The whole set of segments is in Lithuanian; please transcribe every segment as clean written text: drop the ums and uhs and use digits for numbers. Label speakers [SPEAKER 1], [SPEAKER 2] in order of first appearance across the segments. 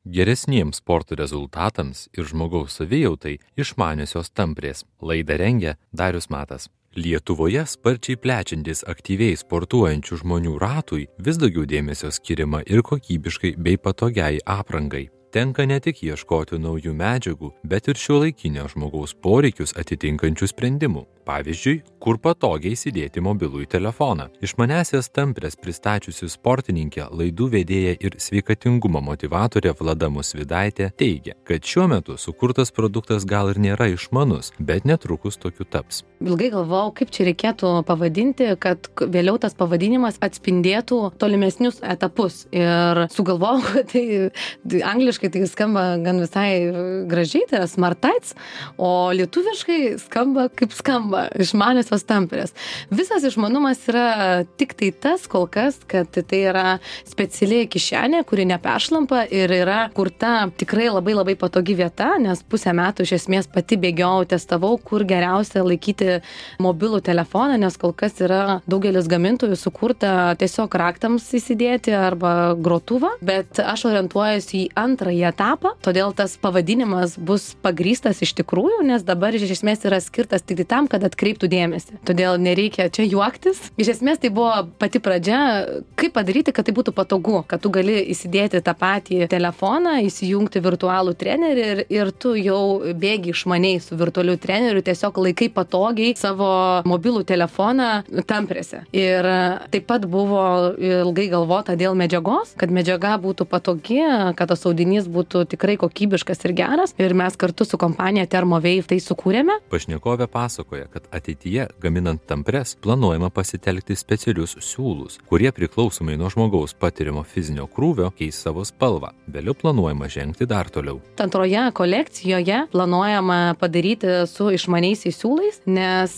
[SPEAKER 1] Geresniems sporto rezultatams ir žmogaus savijautai išmaniosios tamprės. Laidą rengia Darius Matas. Lietuvoje sparčiai plečiantis aktyviai sportuojančių žmonių ratui vis daugiau dėmesio skiriama ir kokybiškai bei patogiai aprangai. Tenka ne tik ieškoti naujų medžiagų, bet ir šiuolaikinio žmogaus poreikius atitinkančių sprendimų. Pavyzdžiui, kur patogiai įsidėti mobilųjį telefoną. Išmanesias tamprės pristačiusi sportininkė, laidų vedėja ir sveikatingumo motyvatorė Vlada Musvydaitė teigia, kad šiuo metu sukurtas produktas gal ir nėra išmanus, bet netrukus tokiu taps.
[SPEAKER 2] Ilgai galvojau, kaip čia reikėtų pavadinti, kad vėliau tas pavadinimas atspindėtų tolimesnius etapus. Ir sugalvojau, kad tai angliškai tai skamba gan visai gražiai, tai yra smartights, o lietuviškai skamba kaip skamba. Išmaniosios tamprės. Visas išmanumas yra tik tai tas kol kas, kad tai yra speciali kišenė, kuri neperšlampa ir yra kurta tikrai labai patogi vieta, nes pusę metų iš esmės pati bėgiojau, testavau, kur geriausia laikyti mobilų telefoną, nes kol kas yra daugelis gamintojų sukurta tiesiog raktams įsidėti arba grotuvą, bet aš orientuojuosi į antrąjį etapą, todėl tas pavadinimas bus pagrįstas iš tikrųjų, nes dabar iš esmės yra skirtas tik tam, kad atkreiptų dėmesį. Todėl nereikia čia juoktis. Iš esmės tai buvo pati pradžia, kaip padaryti, kad tai būtų patogu, kad tu gali įsidėti tą patį telefoną, įsijungti virtualų trenerį ir tu jau bėgi išmaniai su virtualiu treneriu, tiesiog laikai patogiai savo mobilų telefoną tamprėse. Ir taip pat buvo ilgai galvota dėl medžiagos, kad medžiaga būtų patogi, kad tas audinys būtų tikrai kokybiškas ir geras. Ir mes kartu su kompanija Thermovave tai sukūrėme.
[SPEAKER 1] Pašnekovė pasakoja, kad ateityje, gaminant tampres, planuojama pasitelkti specialius siūlus, kurie priklausomai nuo žmogaus patiriamo fizinio krūvio keis savo spalvą. Vėliau planuojama žengti dar toliau.
[SPEAKER 2] Antroje kolekcijoje planuojama padaryti su išmaniaisiais siūlais, nes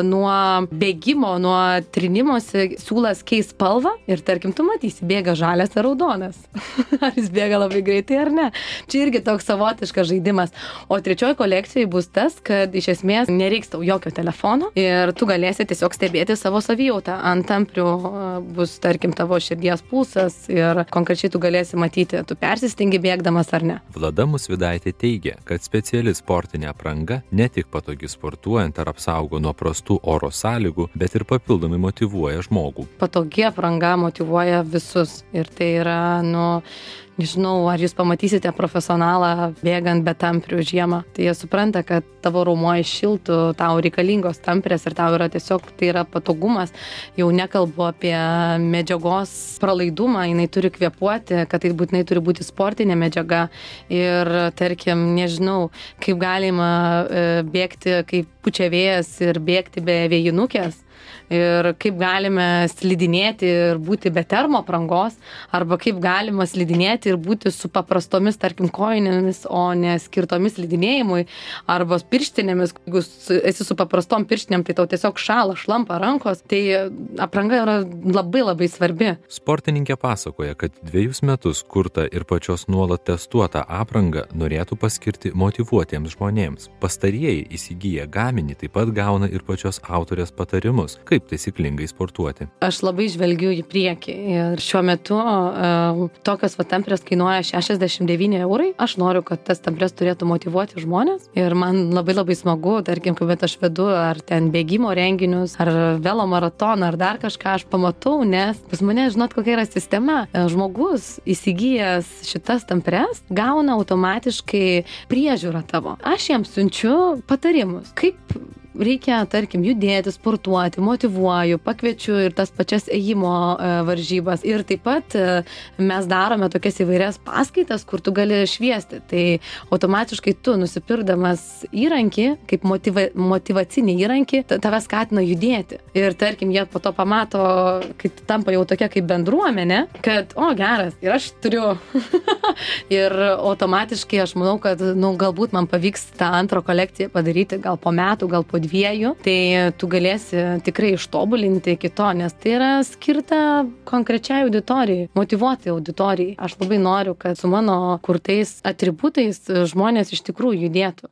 [SPEAKER 2] nuo bėgimo, nuo trinimosi siūlas keis spalvą ir tarkim tu matysi, bėga žalias ar raudonas. Ar jis bėga labai greitai ar ne. Čia irgi toks savotiškas žaidimas. O trečioji kolekcijai bus tas, kad iš esmės nereiks tau jokio telefono ir tu galėsi tiesiog stebėti savo savijautą. Ant tamprių bus, tarkim, tavo širdies pulsas ir konkrečiai tu galėsi matyti, tu persistengi bėgdamas ar ne.
[SPEAKER 1] Vlada Musvydaitė teigia, kad speciali sportinė apranga ne tik patogi sportuojant ar apsaugo nuo prastų oro sąlygų, bet ir papildomai motyvuoja žmogų.
[SPEAKER 2] Patogi apranga motyvuoja visus ir tai yra, nežinau, ar jūs pamatysite profesionalą bėgant be tamprių žiemą. Tai jie supranta, kad tavo raumuo iššiltų, tau reikalingos tamprės ir tau yra tiesiog, tai yra patogumas. Jau nekalbu apie medžiagos pralaidumą, jinai turi kvėpuoti, kad tai būtinai turi būti sportinė medžiaga. Ir tarkim, nežinau, kaip galima bėgti, kaip pučia vėjas ir bėgti be vėjinukės. Ir kaip galime slidinėti ir būti be termoaprangos, arba kaip galima slidinėti ir būti su paprastomis, tarkim, kojinėmis, o ne skirtomis slidinėjimui, arba pirštinėmis. Jeigu esi su paprastom pirštinėm, tai tau tiesiog šąla, šlampa rankos, tai apranga yra labai svarbi.
[SPEAKER 1] Sportininkė pasakoja, kad 2 metus kurtą ir pačios nuolat testuotą aprangą norėtų paskirti motyvuotiems žmonėms. Pastarieji įsigiję gaminį taip pat gauna ir pačios autorės patarimus, kaip taisyklingai sportuoti.
[SPEAKER 2] Aš labai žvelgiu į priekį ir šiuo metu tokios tamprės kainuoja 69 eurai. Aš noriu, kad tas tamprės turėtų motyvuoti žmonės ir man labai smagu, tarkim, kad aš vedu ar ten bėgimo renginius, ar velo maratoną, ar dar kažką aš pamatau, nes pas mane, žinot, kokia yra sistema. Žmogus įsigijęs šitas tamprės gauna automatiškai priežiūrą tavo. Aš jam siunčiu patarimus, kaip reikia, tarkim, judėti, sportuoti, motyvuoju, pakviečiu ir tas pačias ėjimo varžybas. Ir taip pat mes darome tokias įvairias paskaitas, kur tu gali šviesti. Tai automatiškai tu, nusipirkdamas įrankį, kaip motyvacinį įrankį, tave skatina judėti. Ir tarkim, jie po to pamato, kai tampa jau tokia kaip bendruomenė, kad, geras, ir aš turiu. Ir automatiškai aš manau, kad, galbūt man pavyks tą antrą kolekciją padaryti gal po metų, gal po 2, tai tu galėsi tikrai ištobulinti iki to, nes tai yra skirta konkrečiai auditorijai, motyvuoti auditorijai. Aš labai noriu, kad su mano kurtais atributais žmonės iš tikrųjų judėtų.